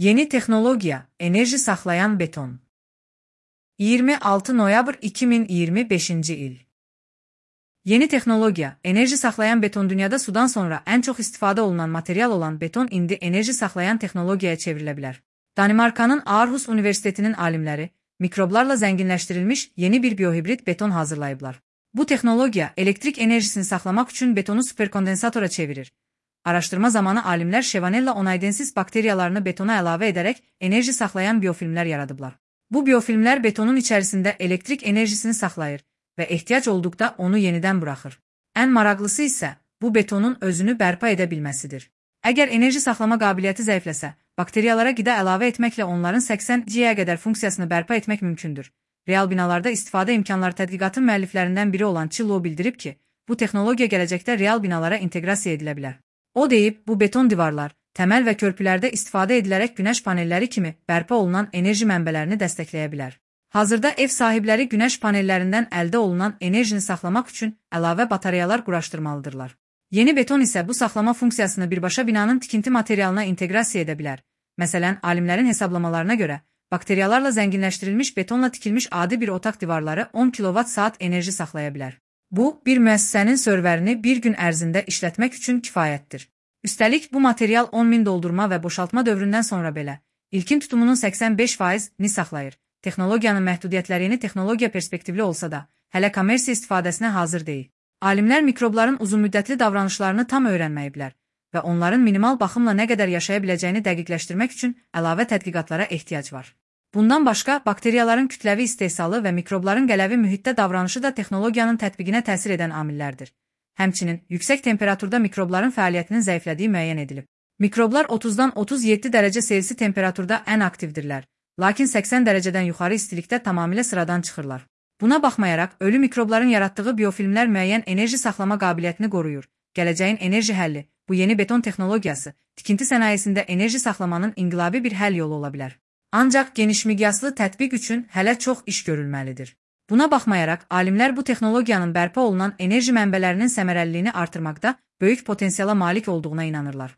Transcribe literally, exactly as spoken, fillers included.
Yeni texnologiya, enerji saxlayan beton. iyirmi altı noyabr iki min iyirmi beşinci il. Yeni texnologiya, enerji saxlayan beton dünyada sudan sonra ən çox istifadə olunan material olan beton indi enerji saxlayan texnologiyaya çevrilə bilər. Danimarkanın Aarhus Universitetinin alimləri mikroblarla zənginləşdirilmiş yeni bir biohibrid beton hazırlayıblar. Bu texnologiya elektrik enerjisini saxlamaq üçün betonu superkondensatora çevirir. Araşdırma zamanı alimlər Shevanella onaydensis bakteriyalarını betona əlavə edərək enerji saxlayan biofilmlər yaradıblar. Bu biofilmlər betonun içərisində elektrik enerjisini saxlayır və ehtiyac olduqda onu yenidən buraxır. Ən maraqlısı isə bu betonun özünü bərpa edə bilməsidir. Əgər enerji saxlama qabiliyyəti zəifləsə, bakteriyalara qida əlavə etməklə onların səksən giqaya qədər funksiyasını bərpa etmək mümkündür. Real binalarda istifadə imkanları tədqiqatın müəlliflərindən biri olan Chillo bildirib ki, bu texnologiya gələcəkdə real binalara inteqrasiya edilə bilər. O deyib, bu beton divarlar, təməl və körpülərdə istifadə edilərək günəş panelləri kimi bərpa olunan enerji mənbələrini dəstəkləyə bilər. Hazırda ev sahibləri günəş panellərindən əldə olunan enerjini saxlamaq üçün əlavə batareyalar quraşdırmalıdırlar. Yeni beton isə bu saxlama funksiyasını birbaşa binanın tikinti materialına inteqrasiya edə bilər. Məsələn, alimlərin hesablamalarına görə, bakteriyalarla zənginləşdirilmiş betonla tikilmiş adi bir otaq divarları on kilovat saat enerji saxlaya bilər. Bu, bir müəssisənin serverini bir gün ərzində işlətmək üçün kifayətdir. Üstəlik, bu material on min doldurma və boşaltma dövründən sonra belə, ilkin tutumunun səksən beş faizini saxlayır. Texnologiyanın məhdudiyyətləri yeni texnologiya perspektivli olsa da, hələ kommersiya istifadəsinə hazır deyil. Alimlər mikrobların uzunmüddətli davranışlarını tam öyrənməyiblər və onların minimal baxımla nə qədər yaşaya biləcəyini dəqiqləşdirmək üçün əlavə tədqiqatlara ehtiyac var. Bundan başqa, bakteriyaların kütləvi istehsalı və mikrobların qələvi mühitdə davranışı da texnologiyanın tətbiqinə təsir edən amillərdir. Həmçinin, yüksək temperaturda mikrobların fəaliyyətinin zəiflədiyi müəyyən edilib. Mikroblar otuzdan otuz yeddi dərəcə Selsi temperaturda ən aktivdirlər, lakin səksən dərəcədən yuxarı istilikdə tamamilə sıradan çıxırlar. Buna baxmayaraq, ölü mikrobların yaratdığı biofilmlər müəyyən enerji saxlama qabiliyyətini qoruyur. Gələcəyin enerji həlli, bu yeni beton texnologiyası, tikinti sənayesində enerji saxlamanın inqilabi bir həll yolu ola bilər. Ancaq genişmiqyaslı tətbiq üçün hələ çox iş görülməlidir. Buna baxmayaraq, alimlər bu texnologiyanın bərpa olunan enerji mənbələrinin səmərəliliyini artırmaqda böyük potensiala malik olduğuna inanırlar.